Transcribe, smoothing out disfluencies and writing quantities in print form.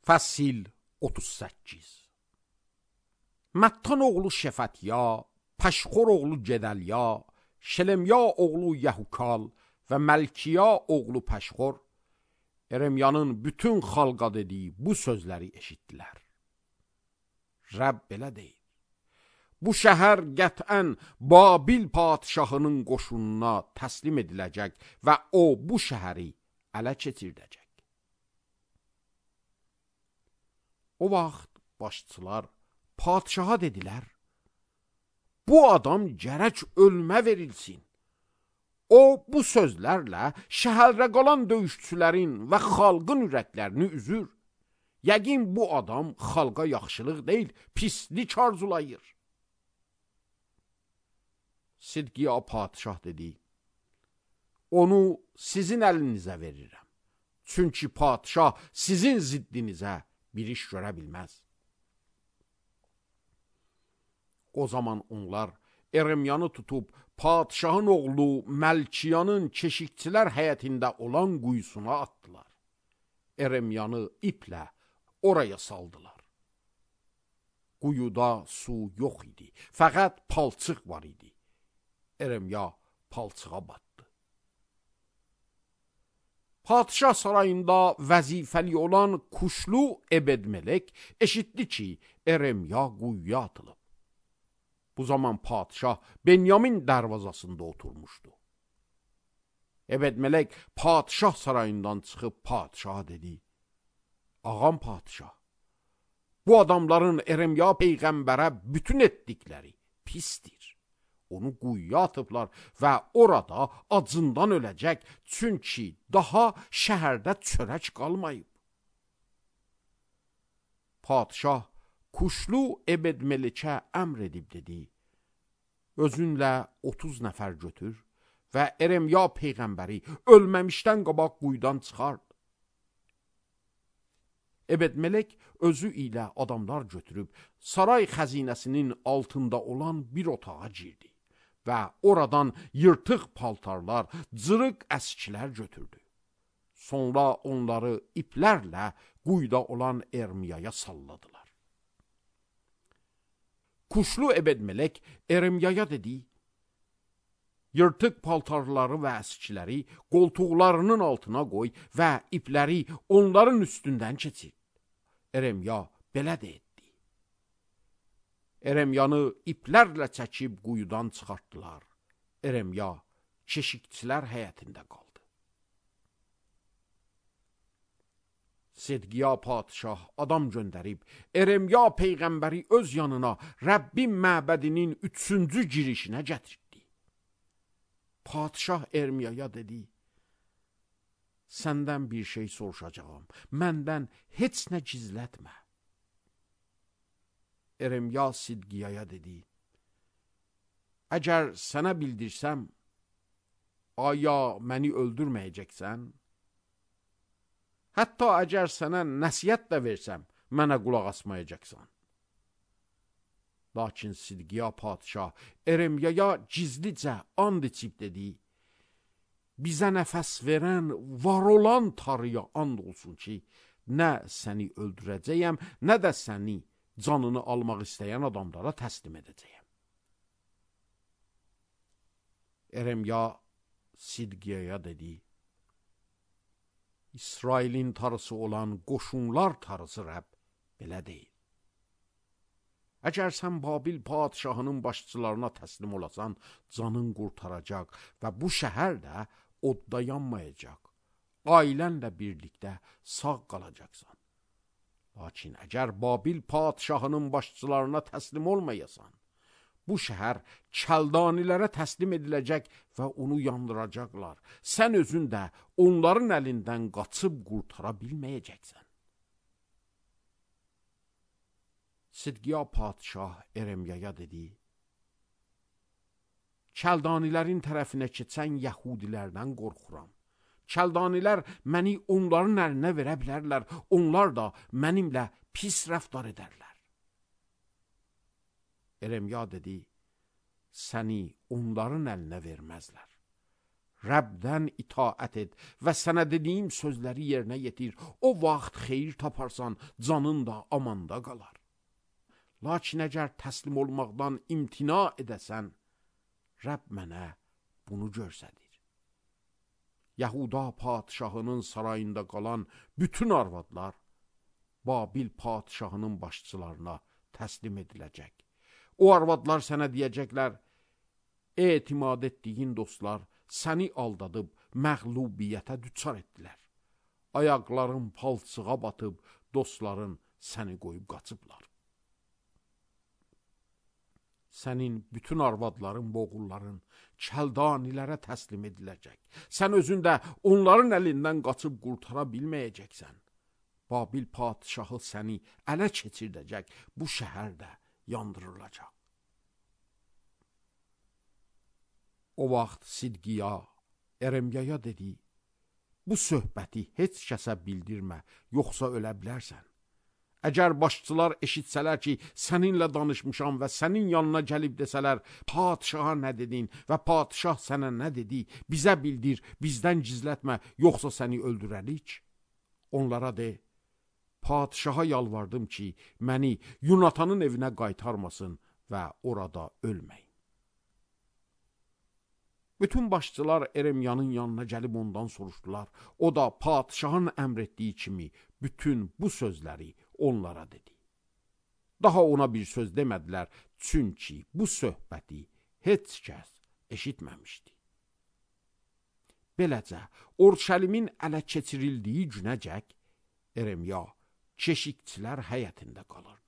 Fəsil 38. Məttan oğlu Şəfətya, Pəşxor oğlu Gedəlya, Şelemya oğlu Yəhukal və Məlkiya oğlu Pəşxor Eremyanın bütün xalqa dediyi bu sözləri eşitdilər. Rəbb belə deyir: bu şəhər qətən Babil padişahının qoşununa təslim ediləcək və o bu şəhəri ələ keçirdəcək. O vaxt başçılar padişaha dedilər: bu adam gərək ölmə verilsin. O bu sözlərlə şəhərdə qalan döyüşçülərin və xalqın ürəklərini üzür. Yəqin bu adam xalqa yaxşılıq deyil, pislik arzulayır. Sidqiya padişah dedi: onu sizin əlinizə verirəm. Çünki padişah sizin ziddinizə bir iş görə bilməz. O zaman onlar Eremyanı tutub padişahın oğlu Məlkiyanın keşikçilər həyətində olan quyusuna atdılar. Eremyanı iplə oraya saldılar. Quyuda su yox idi, fəqət palçıq var idi. Eremya palçığa batdı. Padişah sarayında vəzifəli olan Kuşlu Ebedmelek eşitdi ki, Eremya quyuya atılıb. Bu zaman padişah Benyamin dərvazasında oturmuşdu. Ebedmelek padişah sarayından çıxıb padişaha dedi: ağam padişah, bu adamların Eremya peyğəmbərə bütün etdikləri pisdir. Onu quyuya atıblar və orada acından öləcək, çünki daha şəhərdə çörək qalmayıb. Padişah Kuşlu Ebedmelikə əmr edib dedi: özünlə 30 nəfər götür və Eremya peyğəmbəri ölməmişdən qabaq quyudan çıxart. Ebedmelek özü ilə adamlar götürüb saray xəzinəsinin altında olan bir otağa girdi və oradan yırtıq paltarlar, cırıq əskilər götürdü. Sonra onları iplərlə quyuda olan Ermiyaya salladılar. Kuşlu Ebedmelek Eremyaya dedi: yırtıq paltarları və əskiləri qoltuqlarının altına qoy və ipləri onların üstündən keçir. Eremya belə də etdi. Eremyanı iplərlə çəkib quyudan çıxartdılar. Eremya keşikçilər həyətində qaldı. Sidqiya padişah adam göndərib Eremya peyğəmbəri öz yanına Rəbbin məbədinin 3-cü girişinə gətirdi. Padişah Ermiyaya dedi: səndən bir şey soruşacağım, məndən heç nə gizlətmə. Eremya Sidqiyaya dedi: əgər sənə bildirsəm, aya məni öldürməyəcəksən? Hətta əgər sənə nəsiyyət də versəm, mənə qulaq asmayacaqsan. Lakin Sidqiya padişah Eremyaya gizlicə and içib dedi: bizə nəfəs verən, var olan Tanrıya and olsun ki, nə səni öldürəcəyəm, nə də səni canını almaq istəyən adamlara təslim edəcəyəm. Eremya Sidqiyaya dedi: İsrailin tarısı olan qoşunlar tarısı Rəbb belə deyil. Əgər sən Babil padişahının başçılarına təslim olasan, canın qurtaracaq və bu şəhər də odda yanmayacaq. Ailənlə birlikdə sağ qalacaqsan. Lakin əgər Babil padişahının başçılarına təslim olmayasan, bu şəhər Kəldanilərə təslim ediləcək və onu yandıracaqlar. Sən özün də onların əlindən qaçıb qurtara bilməyəcəksən. Sidqiya padişah Eremyaya dedi: Kəldanilərin tərəfinə keçən Yəhudilərdən qorxuram. Kəldanilər məni onların əlinə verə bilərlər, onlar da mənimlə pis rəftar edərlər. Eremya dedi: səni onların əlinə verməzlər. Rəbdən itaət et və sənə dediyim sözləri yerinə yetir. O vaxt xeyir taparsan, canın da amanda qalar. Lakin əgər təslim olmaqdan imtina edəsən, Rəbb mənə bunu göstərir. Yahuda padşahının sarayında qalan bütün arvadlar Babil padşahının başçılarına təslim ediləcək. O arvadlar sənə deyəcəklər, etimad etdiyin dostlar səni aldadıb məğlubiyyətə düçar etdilər. Ayaqların palçığa batıb, dostların səni qoyub qaçıblar. Sənin bütün arvadların, boğulların kəldanilərə təslim ediləcək. Sən özün də onların əlindən qaçıb qurtara bilməyəcəksən. Babil padşahı səni ələ keçirdəcək, bu şəhər də yandırılacaq. O vaxt Sidqiya Eremyaya dedi, bu söhbəti heç kəsə bildirmə, yoxsa ölə bilərsən. Əgər başçılar eşitsələr ki, səninlə danışmışam və sənin yanına gəlib desələr, padşaha nə dedin və padşah sənə nə dedi, bizə bildir, bizdən gizlətmə, yoxsa səni öldürərik. Onlara de, padşaha yalvardım ki, məni Yunatanın evinə qaytarmasın və orada ölməyin. Bütün başçılar Eremyanın yanına gəlib ondan soruşdular. O da padşahın əmr etdiyi kimi bütün bu sözləri onlara dedi. Daha ona bir söz demədilər, çünki bu söhbəti heç kəs eşitməmişdi. Beləcə, Urşəlimin ələ keçirildiyi günəcək Eremya keşikçilər həyətində qalırdı.